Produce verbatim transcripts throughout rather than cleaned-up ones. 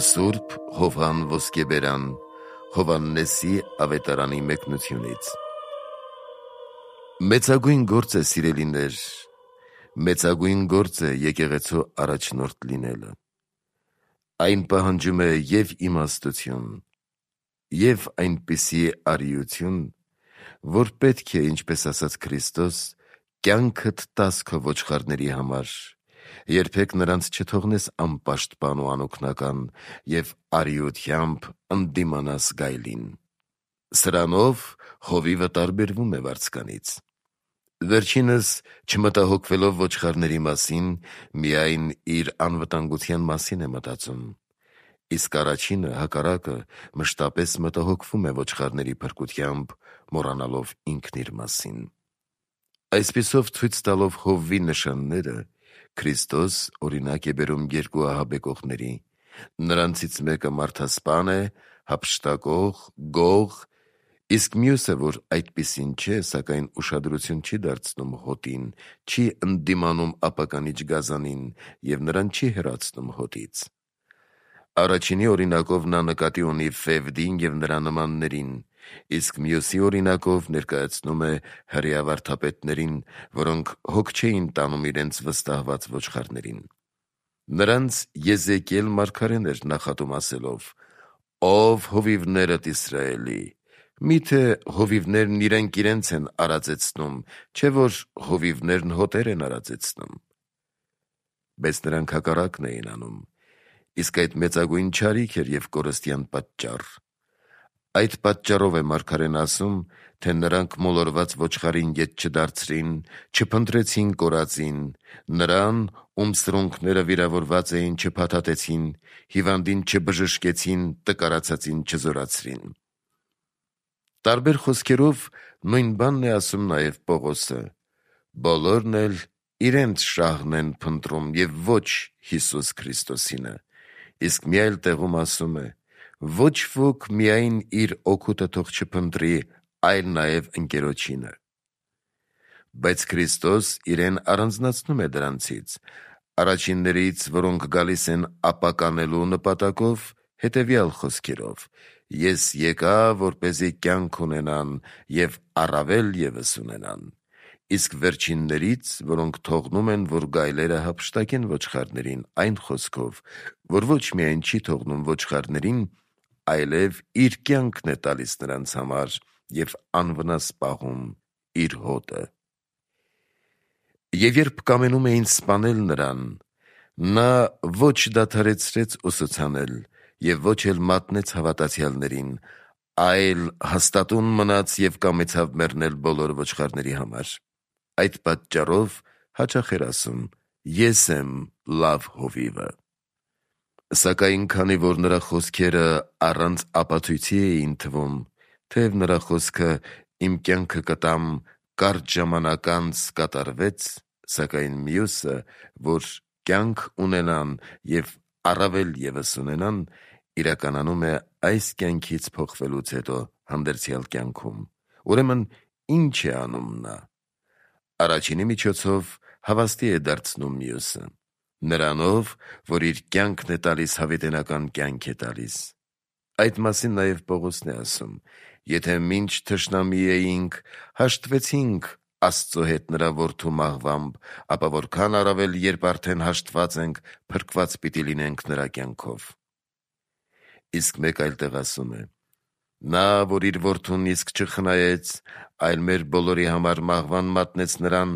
Սուրբ Հովհան Ոսկեբերան Հովհաննեսի ավետարանի մեկնությունից։ Մեծագույն գործ է, սիրելիներ, մեծագույն գործ է եկեղեցու առաջնորդ լինելը։ Այն պահանջում է և իմաստություն, և այնպիսի արիություն, որ պետք է, ինչպես ասաց Քրիստոս, կյանքդ տաս քո ոչխարների համար, երբեք նրանց չթողնես անպաշտպան ու անօգնական և արիությամբ ընդդիմանաս գայլին։ Սրանով հովիվը տարբերվում է վարձկանից։ Վերջինս, չմտահոգվելով ոչխարների մասին, միայն իր անվտանգության մասին է մտածում, իսկ առաջինը, հակառակը, մշտապես մտահոգվում է ոչխարների փրկությամբ, մոռանալով ինքն իր մասին։ Այսպիսով, ցույց տալով Հովվի նշանները, Քրիստոս օրինակ է բերում երկու ահաբեկողների. նրանցից մեկը մարդասպան է, հափշտակող, գող, իսկ մյուսը, որ այդպիսին չէ, սակայն ուշադրություն չի դարձնում հոտին, չի ընդդիմանում ապականիչ գազանին և նրան չի հեռացնում հոտից։ Առաջինի օրինակով նա նկատի ունի Ֆևդին և նրա նմաններին, իսկ մյուսի օրինակով ներկայացնում է հրեա վարդապետներին, որոնք հոգ չէին տանում իրենց վստահված ոչխարներին։ Նրանց Եզեկիել մարգարեն էր նախատում ասելով. «Ով հովիվներդ Իսրայելի, միթե հովիվներն իրենք իրենց են արածեցնում, չէ՞ որ հովիվներն հոտեր են արածեցնում»։ Բայց նրանք հակառակն էին անում, իսկ այդ մեծագույն չարիք էր և կորստյան պատճառ։ Այդ պատճառով է մարգարեն ասում, թե նրանք մոլորված ոչխարին ետ չդարձրին, չփնտրեցին կորածին, նրան, ում սրունքները վիրավորված էին, չփաթաթեցին, հիվանդին չբժշկեցին, տկարացածին չզորացրին։ Տարբեր խոսքերով նույն բանն է ասում նաև Պողոսը. բոլորն էլ իրենց շահն են փնտրում և ոչ Հիսուս Քրիստոսինը, իսկ մի այլ տեղում ասում է. ոչ ոք միայն իր օգուտը թող չփնտրի, այլ նաև ընկերոջինը։ Բայց Քրիստոս իրեն առանձնացնում է դրանցից, առաջիններից, որոնք գալիս են ապականելու նպատակով, հետևյալ խոսքերով. «Ես եկա, որպեսզի կյանք ունենան և առավել ևս ունենան», իսկ վերջիններից, որոնք թողնում են, որ գայլերը հափշտակեն ոչխարներին, այն խոսքով, որ ոչ միայն չի թողնում ոչխարներին, այլև իր կյանքն է տալիս նրանց համար և անվնաս պահում իր հոտը։ Եվ երբ կամենում էին սպանել նրան, նա ոչ դադարեցրեց ուսուցանել և ոչ էլ մատնեց հավատացյալներին, այլ հաստատուն մնաց և կամեցավ մեռնել բոլոր ոչխարների համար։ Այդ պատճառով հաճախ էր ասում. «Ես եմ լավ հովիվը»։ Սակայն քանի որ նրա խոսքերը առանց ապացույցի էին թվում, թեև նրա խոսքը «իմ կյանքը կտամ, կարճ ժամանակ անց» կատարվեց, սակայն մյուսը, որ կյանք ունենան և առավել ևս ունենան, իրականանում է այս կյանքից փոխվելուց հետո հանդերձյալ կյանքում, ուրեմն ի՞նչ է անում նա։ Առաջինի միջոցով հավաստի է դարձնում մյուսը, նրանով, որ իր կյանքն է տալիս, հավիտենական կյանք է տալիս։ Այդ մասին նաև Պողոսն է ասում. «Եթե մինչ թշնամի էինք, հաշտվեցինք Աստծո հետ նրա որդու մահվամբ, ապա որքան առավել, երբ արդեն հաշտված ենք, փրկված պիտի լինենք նրա կյանքով»։ Իսկ մեկ այլ տեղ ասում է. «Նա, որ իր որդուն իսկ չխնայեց, այլ մեր բոլորի համար մահվան մատնեց նրան,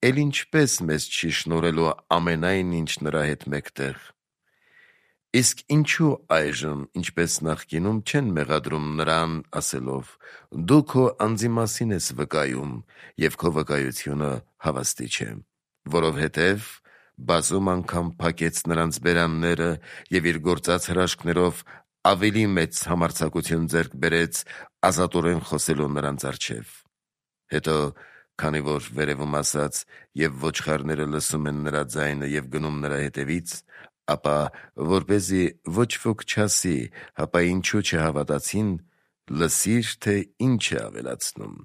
էլ ինչպե՞ս մեզ չի շնորհելու ամենայն ինչ նրա հետ մեկտեղ։ Իսկ ինչու այժմ, ինչպես նախկինում, չեն մեղադրում նրան, ասելով. «Դու քո անձի մասին ես վկայում, և քո վկայությունը հավաստի չէ»։ Որովհետև բազում անգամ փակեց նրանց բերանները և իր գործած հրաշքներով ավելի մեծ համարձակություն ձեռք բերեց ազատորեն խոսելու նրանց առջև։ Հետո, քանի որ վերևում ասաց. «Եվ ոչխարները լսում են նրա ձայնը և գնում նրա հետևից», ապա որպեսզի ոչ ոք չասի. «Հապա ինչու չհավատացին», լսիր, թե ինչ է ավելացնում.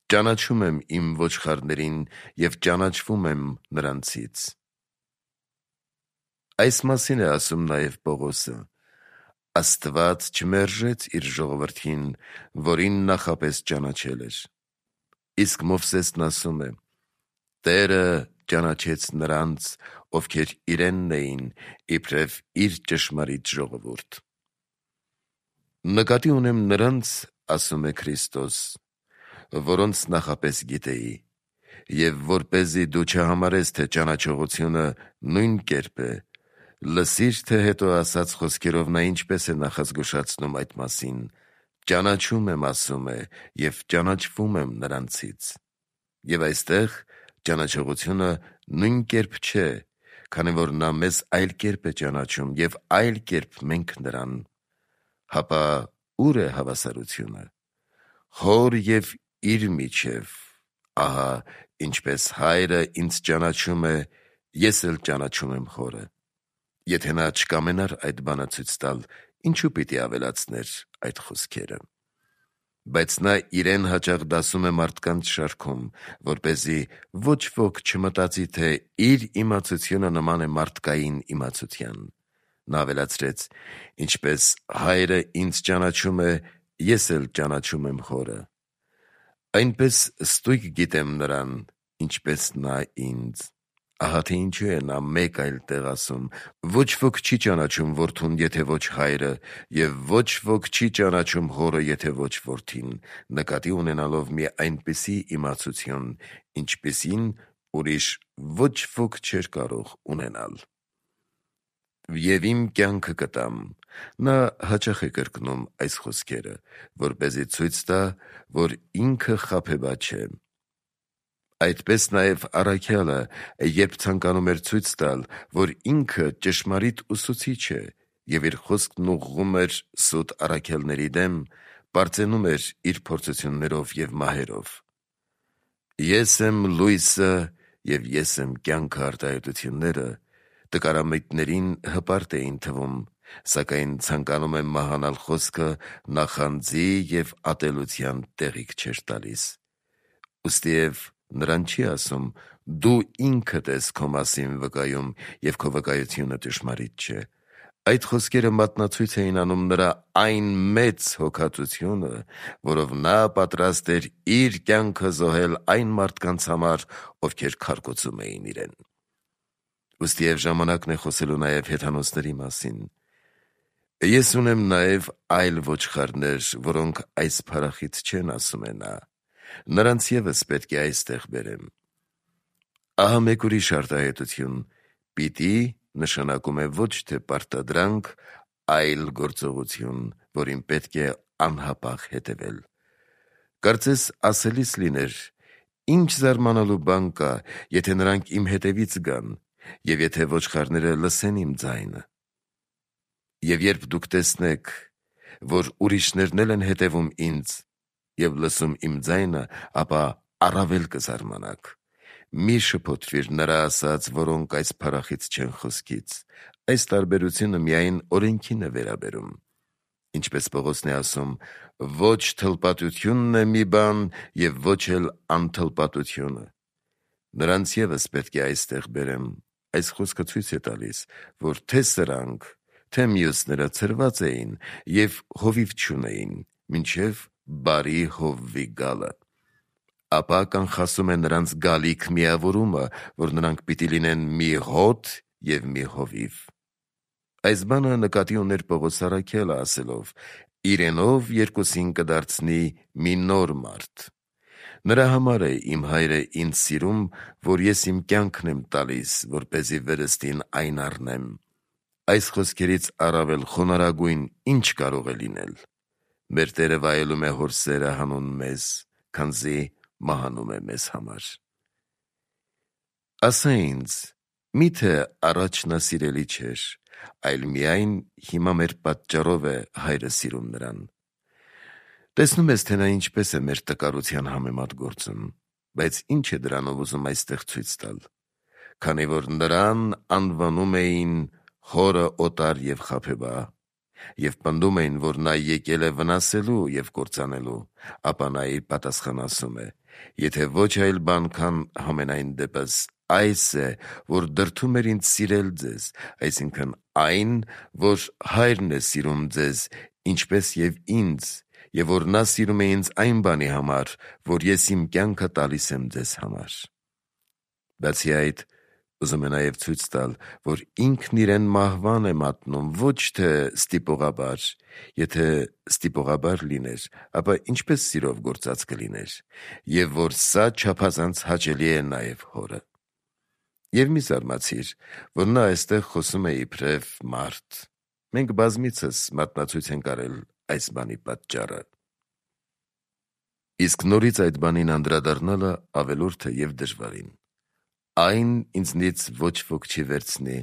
«Ճանաչում եմ իմ ոչխարներին և ճանաչվում եմ նրանցից»։ Այս մասին է ասում նաև Պողոսը. Աստված չմերժեց իր ժողովրդին, որին նախապես ճանաչել էր։ Իսկ Մովսեսն ասում է. Տերը ճանաչեց նրանց, ովքեր իրենն էին, իբրև իր ճշմարիտ ժողովուրդ։ Նկատի ունեմ նրանց, ասում է Քրիստոս, որոնց նախապես գիտեի, եւ որպեսզի դու չհամարես, թե ճանաչողությունը նույն կերպ է, լսիր, թե հետո ասած խոսքերով նա ինչպես է նախազգուշացնում այդ մասին. ճանաչում եմ, ասում է, եւ ճանաչվում եմ նրանցից։ Եվ այստեղ ճանաչողությունը նույն կերպ չէ, քանի որ նա մեզ այլ կերպ է ճանաչում եւ այլ կերպ մենք նրան։ Հապա ուր է հավասարությունը։ Հոր եւ իր միջև, ահա ինչպես հայրը ինձ ճանաչում է, ես էլ ճանաչում եմ հորը։ Եթե նա չկամենար այդ բանը ցույց տալ, ինչու պիտի ավելացներ այդ խոսքերը։ Բայց նա իրեն հաճախ դասում է մարդկանց շարքում, որպեսզի ոչ ոք չմտածի, թե իր իմացությունը նման է մարդկային իմացության։ Նա ավելացրեց. ինչպես հայրը ինձ ճանաչում է, ես էլ ճանաչում եմ հորը։ Այնպես ստույգ գիտեմ նրան, ինչպես նա ինձ։ Ահա թե ինչու է նա մեկ այլ տեղ ասում. ոչ ոք չի ճանաչում որդուն, եթե ոչ հայրը, եւ ոչ ոք չի ճանաչում հորը, եթե ոչ որդին, նկատի ունենալով մի այնպիսի իմացություն, ինչպիսին ուրիշ ոչ ոք չէր կարող ունենալ։ Եվ իմ կյանքը կտամ։ Նա հաճախ է կրկնում այս խոսքերը, որպեսզի ցույց տա, որ ինքը խաբեբա չէ։ Այդպես նաև առաքյալը, երբ ցանկանում էր ցույց տալ, որ ինքը ճշմարիտ ուսուցիչ է եւ իր խոսքն ուղղում էր սուտ առաքյալների դեմ, պարծենում էր իր փորձություններով եւ մահերով։ Ես եմ լույսը եւ ես եմ կյանքը արտահայտությունները տկարամիտներին հպարտ էին թվում, սակայն ցանկանում եմ մահանալ խոսքը նախանձի եւ ատելության տեղիք չէր տալիս։ Ուստիև նրան չի ասում. դու ինքդ ես քո մասին վկայում եւ քո վկայությունը ճշմարիտ չէ։ Այդ խոսքերը մատնացույց էին անում նրա այն մեծ հոգածությունը, որով նա պատրաստ էր իր կյանքը զոհել այն մարդկանց համար, ովքեր քարկոծում էին իրեն։ Ուստիև ժամանակն է խոսելու նաև հեթանոսների մասին։ Ես ունեմ նաև այլ ոչխարներ, որոնք այս փարախից չեն, ասում է նա։ Նրանց ևս պետք է այստեղ բերեմ։ Ահա մեկ ուրիշ արտահայտություն. պիտի նշանակում է ոչ թե պարտադրանք, այլ գործողություն, որին պետք է անհապաղ հետևել։ Կարծես ասելիս լիներ. ինչ զարմանալու բան կա, եթե նրանք իմ հետևից գան, եւ եթե ոչխարները լսեն իմ ձայնը։ Եվ երբ դուք տեսնեք, որ ուրիշներն էլ են հետևում ինձ եւ լսում իմ ձայնը, ապա առավել կզարմանաք։ Մի շփոթվիր նրա ասած, որոնք այս փարախից չեն խոսքից։ Այս տարբերությունը միայն օրենքին է վերաբերում։ Ինչպես Պողոսն է ասում, ոչ թլպատությունն է մի բան եւ ոչ էլ անթլպատությունը։ Նրանց ևս պետք է այստեղ բերեմ։ Այս խոսքը ցույց է տալիս, որ թե սրանք, թե մյուսները ցրված էին եւ հովիվ չունեին, մինչեւ բարի հովվի գալը։ Ապա կանխասում է նրանց գալիք միավորումը, որ նրանք պիտի լինեն մի հոտ եւ մի հովիվ։ Այս բանը նկատի ուներ Պողոս առաքյալը ասելով. իրենով երկուսին կդարձնի մի նոր մարդ։ Նրա համար է իմ հայրը ինձ սիրում, որ ես իմ կյանքն եմ տալիս, որպեսզի վերստին այն առնեմ։ Այս խոսքերից առավել խոնարհագույն ինչ կարող է լինել։ Մեր Տերը վայելում է հոր սերը հանուն մեզ, քանզի մահանում է մեզ համար։ Ասա ինձ, միթե առաջ նա սիրելի չէր, այլ միայն հիմա մեր պատճառով է հայրը սիրում նրան։ Տեսնում ես, թե նա ինչպես է մեր տկարության համեմատ գործում, բայց ինչ է դրանով ուզում այստեղ ցույց տալ։ Քանի որ նրան անվանում էին հորը օտար եւ խաբեբա, եւ պնդում էին, որ նա եկել է վնասելու եւ կործանելու, ապա նա իր պատասխան ասում է. եթե ոչ այլ բան, քան համենայն դեպս այս է, որ դրդում էր ինձ սիրել ձեզ, այսինքն այն, որ հայրն է սիրում ձեզ, ինչպես և ինձ, և որ նա սիրում է ինձ այն բանի համար, որ ես իմ կյանքը տալիս եմ ձեզ համար։ Բացի այդ, ուզում է նաև ցույց տալ, որ ինքն իրեն մահվան է մատնում, ոչ թե ստիպողաբար, եթե ստիպողաբար լիներ, ապա ինչպես սիրով գործած կլիներ, և որ սա չափազանց հաճելի է նաև հորը։ Եվ մի զարմացիր, որ նա այստեղ խոսում է իբրև մարդ։ Մենք բազմիցս մատնացույց ենք արել այս բանի պատճառը։ Իսկ նորից այդ բանին անդրադառնալը ավելորդ է և դժվարին։ Այն ինձնից ոչ ոք չի վերցնի,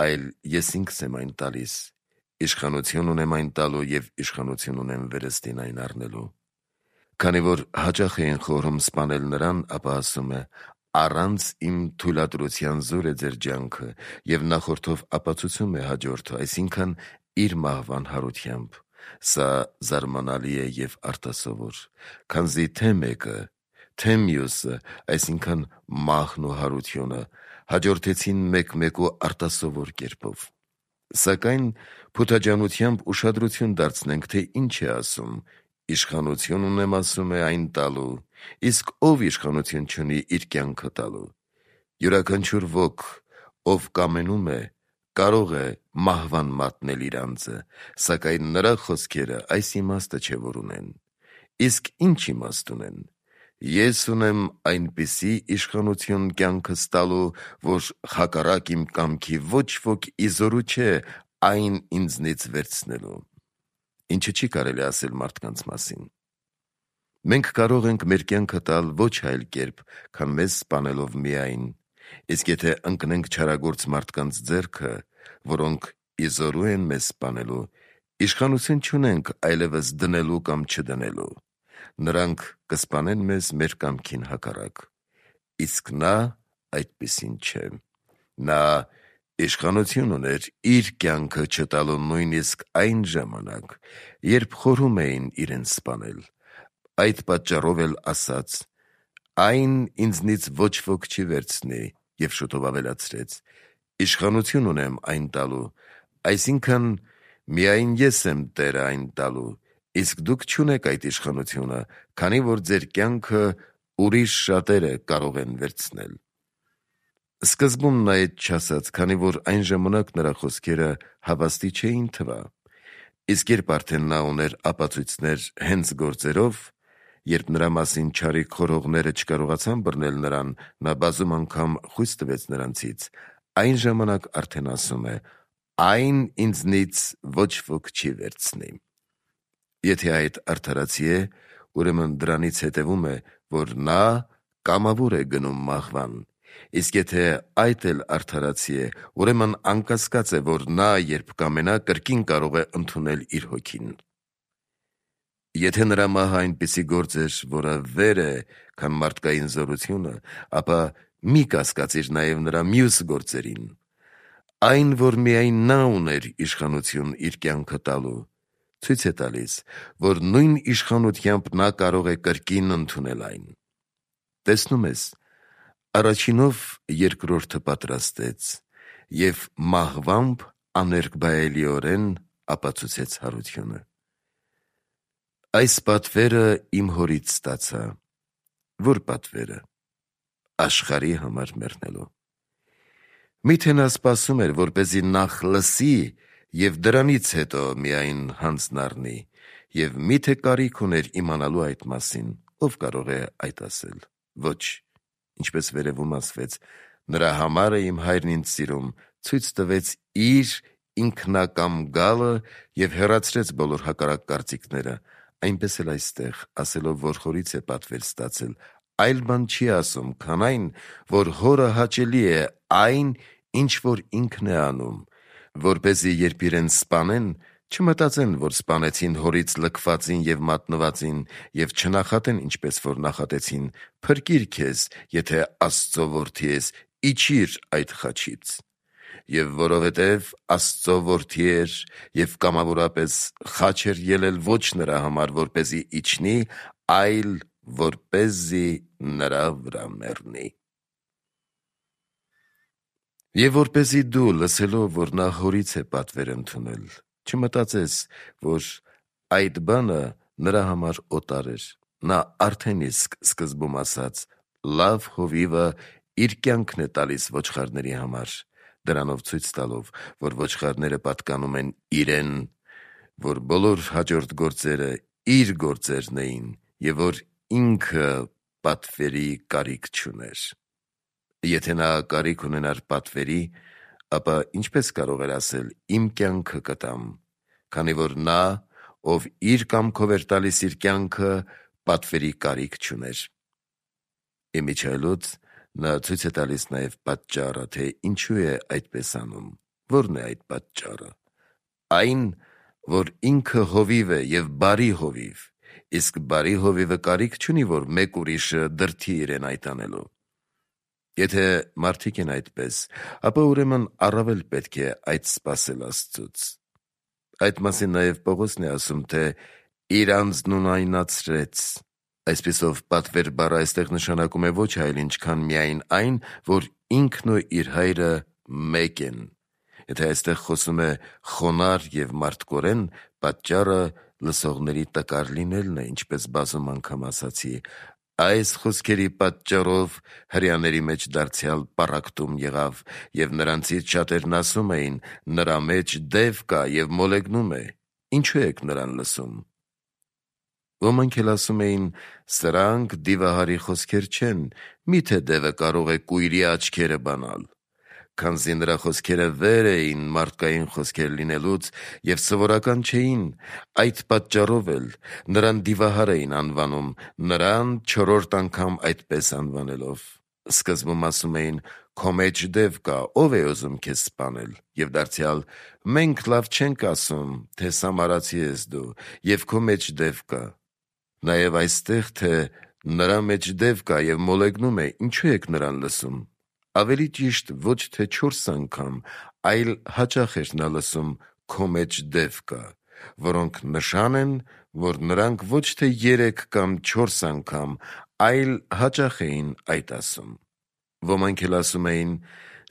այլ ես ինքս եմ այն տալիս, իշխանություն ունեմ այն տալու և իշխանություն ունեմ վերստին այն առնելու։ Քանի որ հաճախ էին խորհում սպանել նրան, ապա ասում է. առանց իմ թույլատրության զոր է ձեր ջանքը, և նախորդով ապացուցում է հաջորդը, այսինքն իր մահվան հարությամբ։ Սա զարմանալի է և արտասովոր, քանզի թե մեկը, թե մյուսը, այսինքն մահն ու հարությունը, հաջորդեցին մեկ-մեկու արտասովոր կերպով։ Սակայն փութաջանությամբ ուշադրություն դարձնենք, թե ինչ է ասում. իշխանություն ունեմ ասում է այն տալու, իսկ ով իշխանություն չունի իր կյանքը տալու։ Յուրաքանչյուր ոք, ով կամենում է, կարող է մահվան մատնել իր անձը, սակայն նրա խոսքերը այս իմաստը չէ, որ ունեն։ Իսկ ինչ իմաստ ունեն։ Ես ունեմ այնպիսի իշխանություն կյանքս տալու, որ հակառակ իմ կամքի ոչ ոք իզորու չէ այն ինձնից վերցնելու։ Ինչը չի կարելի ասել մարդկանց մասին։ Մենք կարող ենք մեր կյանքը տալ ոչ այլ կերպ, քան մեզ սպանելով միայն, իսկ եթե ընկնենք չարագործ մարդկանց ձեռքը, որոնք իզորու են մեզ սպանելու, իշխանություն չունենք այլևս դնելու կամ չդնելու։ Նրանք կսպանեն մեզ մեր կամքին հակառակ։ Իսկ նա այդպիսին չէ։ Նա իշխանություն ուներ իր կյանքը չտալու նույնիսկ այն ժամանակ, երբ խորհում էին իրեն սպանել։ Այդ պատճառով էլ ասաց. այն ինձնից ոչ ոք չի վերցնի, և շուտով ավելացրեց. իշխանություն ունեմ այն տալու, այսինքն միայն ես եմ Տերը այն տալու, իսկ դուք չունեք այդ իշխանությունը, քանի որ ձեր կյանքը ուրիշ շատերը կարող են վերցնել։ Սկզբում նա այդ չասաց, քանի որ այն ժամանակ նրա խոսքերը հավաստի չէին թվա։ Իսկ երբ արդեն նա ուներ ապացույցներ հենց գործերով, երբ նրա մասին չարիք խորհողները չկարողացան բռնել նրան, նա բազում անգամ խույս տվեց նրանցից, այն ժամանակ արդեն ասում է. այն ինձնից ոչ ոք չի վերցնի։ Եթե այդ արդարացի է, ուրեմն դրանից հետևում է, որ նա կամավոր է գնում մահվան, իսկ եթե այդ էլ արդարացի է, ուրեմն անկասկած է, որ նա, երբ կամենա, կրկին կարող է ընդունել իր հոգին։ Եթե նրա մահը այնպիսի գործ էր, որը վեր է, քան մարդկային զորությունը, ապա մի կասկածիր նաև նրա մյուս գործերին։ Այն, որ միայն նա ուներ իշխանություն իր կյանքը տալու, ցույց է տալիս, որ նույն իշխանությամբ նա կարող է կրկին ընդունել այն։ Տեսնում ես, առաջինով երկրորդը պատրաստեց և մահվամբ աներկբայելիորեն ապացուցեց հարությունը։ Այս պատվերը իմ հորից ստացա։ Որ պատվերը։ Աշխարհի համար մեռնելու։ Միթե նա սպասում էր, որպեսզի նախ լսի և դրանից հետո միայն հանձն առնի, և միթե կարիք ուներ իմանալու այդ մասին, ով կարող է այդ ասել։ Ոչ, ինչպես վերևում ասվեց, նրա համար է իմ հայրն ինձ սիրում, ցույց տվեց իր ինքնակամ գալը և հեռացրեց բոլոր հակառակ կարծիքները, այնպես էլ այստեղ, ասելով, որ հորից է պատվեր ստացել, այլ բան չի ասում, քան այն, որ հորը հաճելի է այն, ինչ որ ինքն է անում, որպեսզի երբ իրեն սպանեն, չմտածեն, որ սպանեցին հորից լքվածին և մատնվածին, և չնախատեն, ինչպես որ նախատեցին. «Փրկիր քեզ, եթե Աստծո որդի ես, իջիր այդ խաչից»։ Եվ որովհետև Աստծո որդի էր և կամավորապես խաչ էր ելել ոչ նրա համար, որպեսզի իջնի, այլ որպեսզի նրա վրա մեռնի։ Եվ որպեսզի դու լսելով, որ նա հորից է պատվեր ընդունել, չմտածես, որ այդ բանը նրա համար օտար էր, նա արդեն իսկ սկզբում ասաց, լավ հովիվը իր կյանքն է տալիս ոչխարների համար, դրանով ցույց տալով, որ ոչխարները պատկանում են իրեն, որ բոլոր հաջորդ գործերը իր գործերն էին, և որ ինքը պատվերի կարիք չուներ։ Եթե նա կարիք ունենար պատվերի, ապա ինչպես կարող էր ասել իմ կյանքը կտամ, քանի որ նա, ով իր կամքով էր տալիս իր կյանքը, պատվերի կարիք չուներ։ Իմիջիայլոց նա ցույց է տալիս նաև պատճառը, թե ինչու է այդպես անում։ Ո՞րն է այդ պատճառը։ Այն, որ ինքը հովիվ է և բարի հովիվ, իսկ բարի հովիվը կարիք չունի, որ մեկ ուրիշը դրդի իրեն այդ անելու։ Եթե մարդիկ են այդպես, ապա ուրեմն առավել պետք է այդ սպասել Աստծուց։ Այդ մասին նաև Պողոսն է ասում, թե իր անձն ունայնացրեց։ Այսպիսով պատվեր բառը այստեղ նշանակում է ոչ այլ ինչքան միայն այն, որ ինքն ու իր հայրը մեկ են։ Եթե այստեղ խոսում է խոնարհ և մարդկորեն, պատճառը լսողների տկար լինելն է, ինչպես բազում անգամ ասացի։ Այս խոսքերի պատճառով հրեաների մեջ դարձյալ պառակտում եղավ, և նրանցից շատերն ասում էին. նրա մեջ դև կա և մոլեգնում է, ինչու եք նրան լսում։ Ոմանք էլ ասում էին. սրանք դիվահարի խոսքեր չեն, միթե դևը կարող է կույրի աչքերը բանալ։ Քանզի նրա խոսքերը վեր էին մարդկային խոսքեր լինելուց և սովորական չէին, այդ պատճառով էլ նրան դիվահար էին անվանում, նրան չորրորդ անգամ այդպես անվանելով։ Սկզբում ասում էին. քո մեջ դև կա, ո՞վ է ուզում քեզ սպանել, և դարձյալ. մենք լավ չենք ասում, թե սամարացի ես դու, և քո մեջ դև կա։ Նաև այստեղ, թե նրա մեջ դև կա և մոլեգնում է, ինչու եք նրան լսում։ Ավելի ճիշտ ոչ թե չորս անգամ, այլ հաճախ էր նա լսում քո մեջ դև կա, որոնք նշան են, որ նրանք ոչ թե երեք կամ չորս անգամ, այլ հաճախ էին այդ ասում։ Ոմանք էլ ասում էին.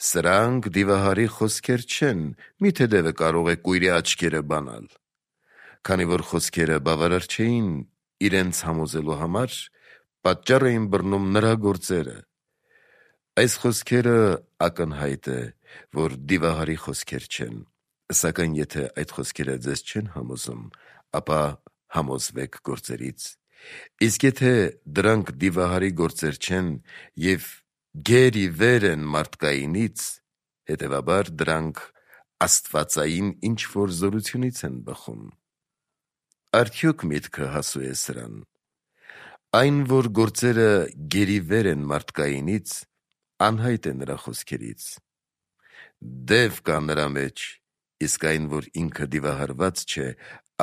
սրանք դիվահարի խոսքեր չեն, միթե դևը կարող է կույրի աչքերը բանալ։ Քանի որ խոսքերը բավարար չէին իրենց համոզելու համար, պատճառ էին բռնում նրա գործերը։ Այս խոսքերը ակնհայտ է, որ դիվահարի խոսքեր չեն, սակայն եթե այդ խոսքերը ձեզ չեն համոզում, ապա համոզվեք գործերից։ Իսկ եթե դրանք դիվահարի գործեր չեն և գեր ի վեր են մարդկայինից, հետևաբար դրանք աստվածային ինչ-որ զորությունից են բխում։ Արդյոք միտքը հասու է սրան։ Այն, որ գործերը գերի վեր են մարդկայինից, անհայտ է նրա խոսքերից։ Դև կա նրա մեջ, իսկ այն, որ ինքը դիվահարված չէ,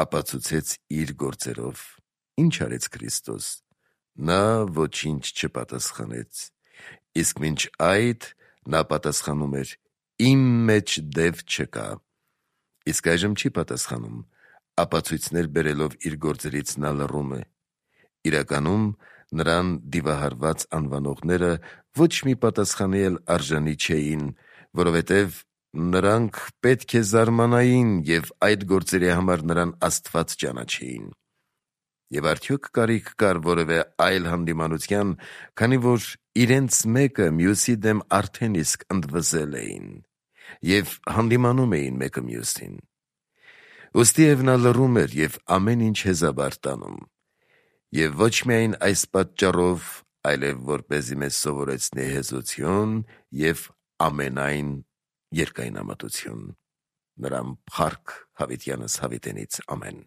ապացուցեց իր գործերով։ Ինչ արեց Քրիստոս։ Նա ոչինչ չպատասխանեց, իսկ մինչ այդ նա պատասխանում էր. իմ մեջ դև չկա։ Իսկ այժմ չի պատասխանում, ապացույցներ բերելով իր գործերից նա լռում է։ Իրականում նրան դիվահարված անվանողները ոչ մի պատասխանի էլ արժանի չէին, որովհետև նրանք պետք է զարմանային և այդ գործերի համար նրան Աստված ճանաչեին։ Եվ արդյոք կարիք կար որևէ այլ հանդիմանության, քանի որ իրենց մեկը մյուսի դեմ արդեն իսկ ընդվզել էին և հանդիմանում էին մեկը մյուսին։ Ուստիև նա լռում էր և ամեն ինչ հեզաբար տանում։ Եվ ոչ միայն այս պատճառով, այլև որպեսզի մեզ սովորեցնի հեզություն և ամենայն երկայնամտություն։ Նրան փառք Հավիտյանս հավիտենից։ Ամեն։